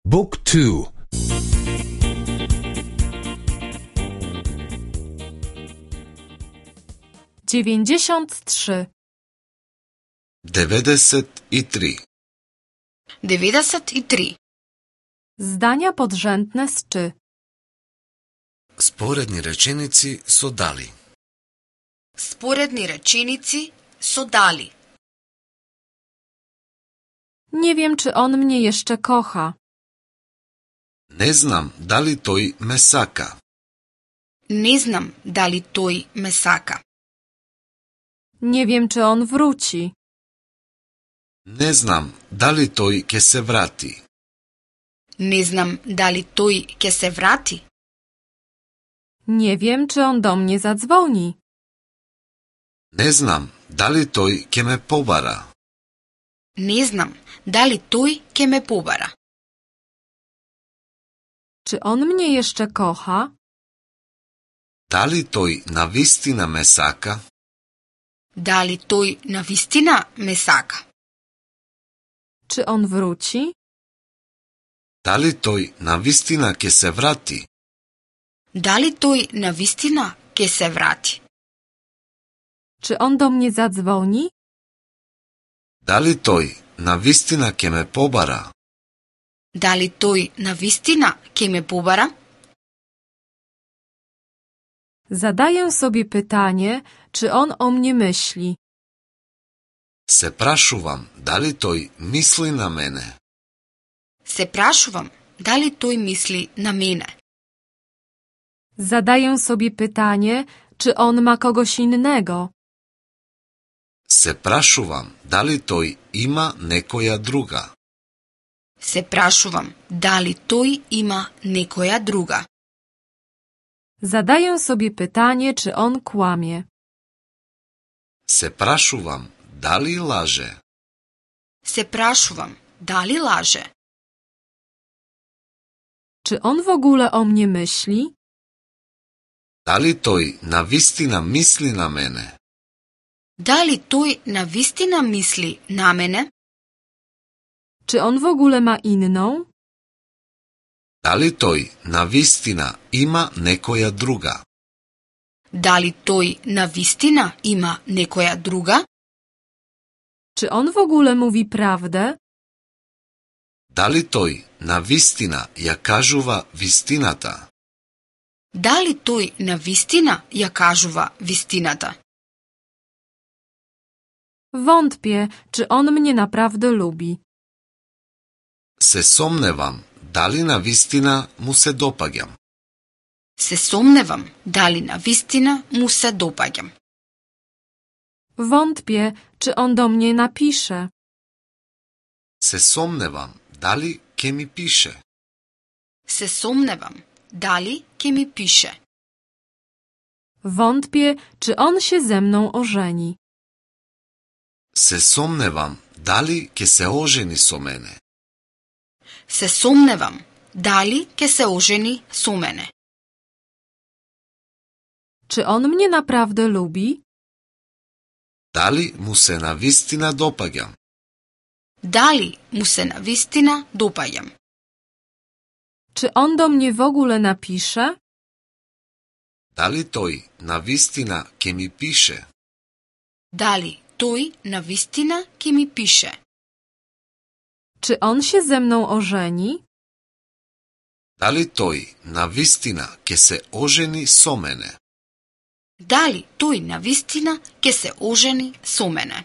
Book 2. 93. 93. 93. Zdania podrzędne z czy. Споредни реченици со дали. Споредни реченици со дали. Nie wiem, czy on mnie jeszcze kocha. Не знам дали тој ме сака. Не знам дали тој ме сака. Nie wiem, czy on wróci. Не знам дали тој ќе се врати. Не знам дали тој ќе се врати. Nie wiem, czy on do mnie zadzwoni. Не знам дали тој ќе ме побара. Не знам дали тој ќе ме побара. Czy on mnie jeszcze kocha? Дали тој навистина ме сака? Дали тој навистина ме сака? Czy on wróci? Дали тој навистина ќе се врати? Дали тој навистина ќе се врати? Czy on do mnie zadzwoni? Дали тој навистина ќе ме побара? Дали тој навистина ќе ме побара? Zadaję sobie pytanie, czy on o mnie myśli. Се прашувам дали тој мисли на мене. Се прашувам дали тој мисли на мене. Zadaję sobie pytanie, czy on ma kogoś innego. Се прашувам дали тој има некоја друга. Се прашувам дали тој има некоја друга. Zadaję sobie pytanie, czy on kłamie. Се прашувам дали лаже. Се прашувам дали лаже. Czy on w ogóle o mnie myśli? Дали тој навистина мисли на мене? Дали тој навистина мисли на мене? Czy on w ogóle ma inną? Дали тој навистина има некоја друга? Дали тој навистина има некоја друга? Czy on w ogóle mówi prawdę? Дали тој навистина ја кажува вистината? Дали тој навистина ја кажува вистината? Wątpię, czy on mnie naprawdę lubi. Се сомневам дали навистина му се допаѓам. Се сомневам дали навистина му се допаѓам. Wątpię, czy on do mnie napisze. Се сомневам дали ќе ми пише. Се сомневам дали ќе ми пише. Wątpię, czy on się ze mną ożeni. Се сомневам дали ќе се ожени со мене. Се сомневам дали ќе се ожени со мене. Czy on mnie naprawdę lubi? Дали му се навистина допаѓам? Дали му се навистина допаѓам? Czy on do mnie w ogóle napisze? Дали тој навистина ќе ми пише? Дали тој навистина ќе ми пише? Czy on się ze mną ożeni? Дали тој навистина ќе се ожени со мене? Дали тој навистина ќе се ожени со мене?